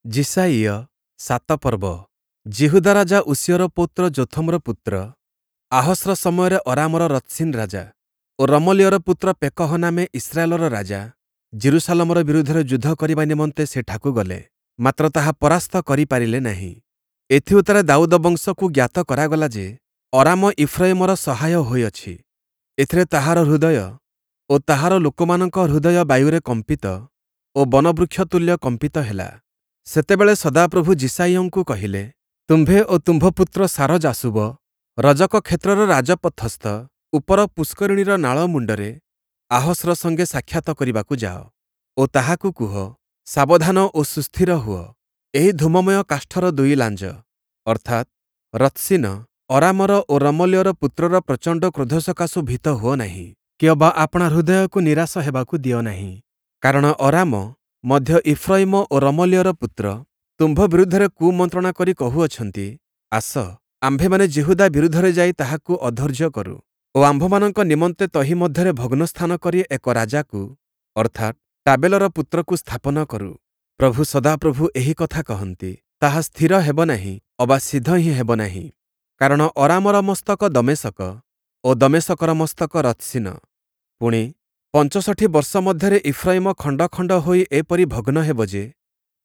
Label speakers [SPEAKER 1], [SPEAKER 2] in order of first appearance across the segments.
[SPEAKER 1] ଯିଶାଇୟ 7 ପର୍ବ। ଯିହୁଦା ରାଜା ଉଷିୟର ପୌତ୍ର ଯୋଥମର ପୁତ୍ର ଆହସ୍ର ସମୟରେ ଅରାମର ରତ୍ସିନ୍ ରାଜା ଓ ରମଲିୟର ପୁତ୍ର ପେକହ ନାମେ ଇସ୍ରାଏଲର ରାଜା ଯିରୂଶାଲମର ବିରୁଦ୍ଧରେ ଯୁଦ୍ଧ କରିବା ନିମନ୍ତେ ସେଠାକୁ ଗଲେ, ମାତ୍ର ତାହା ପରାସ୍ତ କରିପାରିଲେ ନାହିଁ। ଏଥିଉତ୍ତାରେ ଦାଉଦ ବଂଶକୁ ଜ୍ଞାତ କରାଗଲା ଯେ, ଅରାମ ଇଫ୍ରୟିମର ସହାୟ ହୋଇଅଛି। ଏଥିରେ ତାହାର ହୃଦୟ ଓ ତାହାର ଲୋକମାନଙ୍କ ହୃଦୟ ବାୟୁରେ କମ୍ପିତ ଓ ବନବୃକ୍ଷ ତୁଲ୍ୟ କମ୍ପିତ ହେଲା। ସେତେବେଳେ ସଦାପ୍ରଭୁ ଯିଶାଇୟଙ୍କୁ କହିଲେ, ତୁମ୍ଭେ ଓ ତୁମ୍ଭ ପୁତ୍ର ଶାରଯାଶୂବ ରଜକ କ୍ଷେତ୍ରର ରାଜପଥସ୍ଥ ଉପର ପୁଷ୍କରିଣୀର ନାଳ ମୁଣ୍ଡରେ ଆହସ୍ର ସଙ୍ଗେ ସାକ୍ଷାତ କରିବାକୁ ଯାଅ ଓ ତାହାକୁ କୁହ, ସାବଧାନ ଓ ସୁସ୍ଥିର ହୁଅ, ଏହି ଧୂମମୟ କାଷ୍ଠର ଦୁଇ ଲାଞ୍ଜ, ଅର୍ଥାତ୍ ରତ୍ସିନ ଅରାମର ଓ ରମଲିୟର ପୁତ୍ରର ପ୍ରଚଣ୍ଡ କ୍ରୋଧ ସକାଶୁ ଭୀତ ହୁଅ ନାହିଁ, କି ଅବା ଆପଣା ହୃଦୟକୁ ନିରାଶ ହେବାକୁ ଦିଅ ନାହିଁ। କାରଣ ଅରାମ ମଧ୍ୟ ଇଫ୍ରୟିମ ଓ ରମଲିୟର ପୁତ୍ର ତୁମ୍ଭ ବିରୁଦ୍ଧରେ କୁମନ୍ତ୍ରଣା କରି କହୁଅଛନ୍ତି, ଆସ, ଆମ୍ଭେମାନେ ଯିହୁଦା ବିରୁଦ୍ଧରେ ଯାଇ ତାହାକୁ ଅଧୈର୍ଯ୍ୟ କରୁ ଓ ଆମ୍ଭମାନଙ୍କ ନିମନ୍ତେ ତହିଁ ମଧ୍ୟରେ ଭଗ୍ନସ୍ଥାନ କରି ଏକ ରାଜାକୁ, ଅର୍ଥାତ୍ ଟାବେଲର ପୁତ୍ରକୁ ସ୍ଥାପନ କରୁ। ପ୍ରଭୁ ସଦାପ୍ରଭୁ ଏହି କଥା କହନ୍ତି, ତାହା ସ୍ଥିର ହେବ ନାହିଁ ଅବା ସିଦ୍ଧ ହିଁ ହେବ ନାହିଁ। କାରଣ ଅରାମର ମସ୍ତକ ଦମେଶକ ଓ ଦମେଶକର ମସ୍ତକ ରତ୍ସିନ। ପୁଣି 65 ବର୍ଷ ମଧ୍ୟରେ ଇଫ୍ରୟିମ ଖଣ୍ଡ ଖଣ୍ଡ ହୋଇ ଏପରି ଭଗ୍ନ ହେବ ଯେ,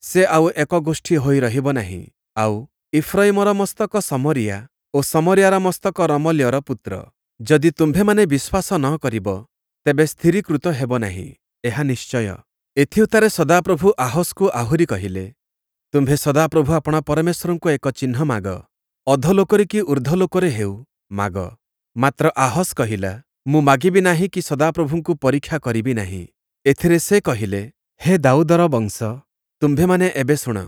[SPEAKER 1] ସେ ଆଉ ଏକ ଗୋଷ୍ଠୀ ହୋଇ ରହିବ ନାହିଁ। ଆଉ ଇଫ୍ରୟିମର ମସ୍ତକ ଶମରିୟା ଓ ଶମରିୟାର ମସ୍ତକ ରମଲିୟର ପୁତ୍ର। ଯଦି ତୁମ୍ଭେମାନେ ବିଶ୍ୱାସ ନ କରିବ, ତେବେ ସ୍ଥିରୀକୃତ ହେବ ନାହିଁ, ଏହା ନିଶ୍ଚୟ। ଏଥିଉତ୍ତାରେ ସଦାପ୍ରଭୁ ଆହସ୍କୁ ଆହୁରି କହିଲେ, ତୁମ୍ଭେ ସଦାପ୍ରଭୁ ଆପଣା ପରମେଶ୍ୱରଙ୍କୁ ଏକ ଚିହ୍ନ ମାଗ, ଅଧୋଲୋକରେ କି ଊର୍ଦ୍ଧ୍ୱଲୋକରେ ହେଉ, ମାଗ। ମାତ୍ର ଆହସ୍ କହିଲା, ମୁଁ ମାଗିବି ନାହିଁ କି ସଦାପ୍ରଭୁଙ୍କୁ ପରୀକ୍ଷା କରିବି ନାହିଁ। ଏଥିରେ ସେ କହିଲେ, ହେ ଦାଉଦର ବଂଶ, ତୁମ୍ଭେମାନେ ଏବେ ଶୁଣ,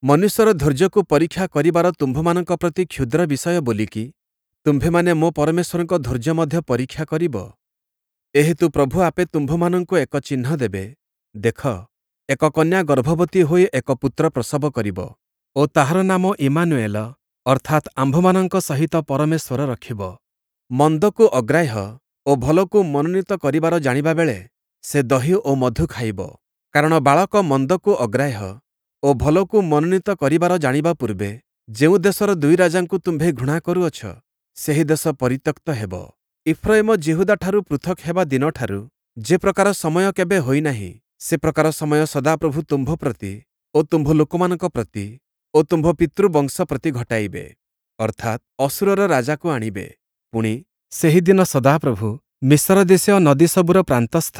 [SPEAKER 1] ମନୁଷ୍ୟର ଧୈର୍ଯ୍ୟକୁ ପରୀକ୍ଷା କରିବାର ତୁମ୍ଭମାନଙ୍କ ପ୍ରତି କ୍ଷୁଦ୍ର ବିଷୟ ବୋଲିକି ତୁମ୍ଭେମାନେ ମୋ ପରମେଶ୍ୱରଙ୍କ ଧୈର୍ଯ୍ୟ ମଧ୍ୟ ପରୀକ୍ଷା କରିବ? ଏହେତୁ ପ୍ରଭୁ ଆପେ ତୁମ୍ଭମାନଙ୍କୁ ଏକ ଚିହ୍ନ ଦେବେ, ଦେଖ, ଏକ କନ୍ୟା ଗର୍ଭବତୀ ହୋଇ ଏକ ପୁତ୍ର ପ୍ରସବ କରିବ ଓ ତାହାର ନାମ ଇମାନୁଏଲ, ଅର୍ଥାତ୍ ଆମ୍ଭମାନଙ୍କ ସହିତ ପରମେଶ୍ୱର ରଖିବ। ମନ୍ଦକୁ ଅଗ୍ରାହ୍ୟ ଓ ଭଲକୁ ମନୋନୀତ କରିବାର ଜାଣିବା ବେଳେ ସେ ଦହି ଓ ମଧୁ ଖାଇବ। କାରଣ ବାଳକ ମନ୍ଦକୁ ଅଗ୍ରାହ୍ୟ ଓ ଭଲକୁ ମନୋନୀତ କରିବାର ଜାଣିବା ପୂର୍ବେ ଯେଉଁ ଦେଶର ଦୁଇ ରାଜାଙ୍କୁ ତୁମ୍ଭେ ଘୃଣା କରୁଅଛ, ସେହି ଦେଶ ପରିତ୍ୟକ୍ତ ହେବ। ଇଫ୍ରୟିମ ଯିହୁଦାଠାରୁ ପୃଥକ୍ ହେବା ଦିନଠାରୁ ଯେ ପ୍ରକାର ସମୟ କେବେ ହୋଇନାହିଁ, ସେ ପ୍ରକାର ସମୟ ସଦାପ୍ରଭୁ ତୁମ୍ଭ ପ୍ରତି ଓ ତୁମ୍ଭ ଲୋକମାନଙ୍କ ପ୍ରତି ଓ ତୁମ୍ଭ ପିତୃବଂଶ ପ୍ରତି ଘଟାଇବେ, ଅର୍ଥାତ୍ ଅଶୂରର ରାଜାକୁ ଆଣିବେ। ପୁଣି ସେହିଦିନ ସଦାପ୍ରଭୁ ମିଶର ଦେଶୀୟ ନଦୀସବୁର ପ୍ରାନ୍ତସ୍ଥ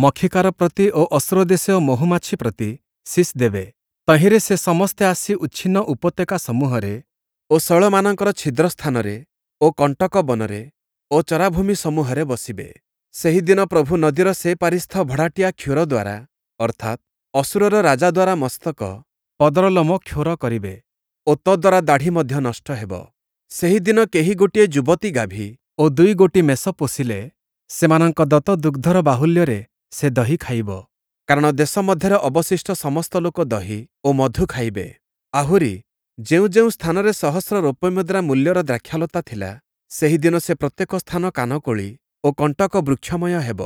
[SPEAKER 1] ମକ୍ଷିକାର ପ୍ରତି ଓ ଅଶୂର ଦେଶୀୟ ମହୁମାଛି ପ୍ରତି ଶୀଷ୍ ଦେବେ। ତହିଁରେ ସେ ସମସ୍ତେ ଆସି ଉଚ୍ଛିନ୍ନ ଉପତ୍ୟକା ସମୂହରେ ଓ ଶୈଳମାନଙ୍କର ଛିଦ୍ର ସ୍ଥାନରେ ଓ କଣ୍ଟକ ବନରେ ଓ ଚରାଭୂମି ସମୂହରେ ବସିବେ। ସେହିଦିନ ପ୍ରଭୁ ନଦୀର ସେପାରିସ୍ଥ ଭଡ଼ାଟିଆ କ୍ଷୁର ଦ୍ୱାରା, ଅର୍ଥାତ୍ ଅଶୂରର ରାଜା ଦ୍ୱାରା ମସ୍ତକ ପଦର ଲୋମ କ୍ଷୌର କରିବେ ଓ ତଦ୍ୱାରା ଦାଢ଼ି ମଧ୍ୟ ନଷ୍ଟ ହେବ। ସେହିଦିନ କେହି ଗୋଟିଏ ଯୁବତୀ ଗାଭୀ ଓ ଦୁଇ ଗୋଟି ମେଷ ପୋଷିଲେ, ସେମାନଙ୍କ ଦତ୍ତ ଦୁଗ୍ଧର ବାହୁଲ୍ୟରେ ସେ ଦହି ଖାଇବ। କାରଣ ଦେଶ ମଧ୍ୟରେ ଅବଶିଷ୍ଟ ସମସ୍ତ ଲୋକ ଦହି ଓ ମଧୁ ଖାଇବେ। ଆହୁରି ଯେଉଁ ଯେଉଁ ସ୍ଥାନରେ ସହସ୍ର ରୌପ୍ୟମୁଦ୍ରା ମୂଲ୍ୟର ଦ୍ରାକ୍ଷାଲତା ଥିଲା, ସେହିଦିନ ସେ ପ୍ରତ୍ୟେକ ସ୍ଥାନ କାନକୋଳି ଓ କଣ୍ଟକ ବୃକ୍ଷମୟ ହେବ।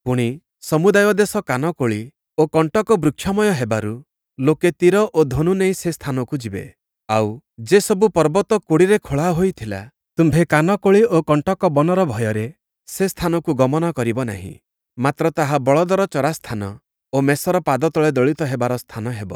[SPEAKER 1] ପୁଣି ସମୁଦାୟ ଦେଶ କାନକୋଳି ଓ କଣ୍ଟକ ବୃକ୍ଷମୟ ହେବାରୁ ଲୋକେ ତୀର ଓ ଧନୁ ନେଇ ସେ ସ୍ଥାନକୁ ଯିବେ। ଆଉ ଯେସବୁ ପର୍ବତ କୋଡ଼ିରେ ଖୋଳା ହୋଇଥିଲା, ତୁମ୍ଭେ କାନକୋଳି ଓ କଣ୍ଟକ ବନର ଭୟରେ ସେ ସ୍ଥାନକୁ ଗମନ କରିବ ନାହିଁ, ମାତ୍ର ତାହା ବଳଦର ଚରାସ୍ଥାନ ଓ ମେଷର ପାଦତଳେ ଦଳିତ ହେବାର ସ୍ଥାନ ହେବ।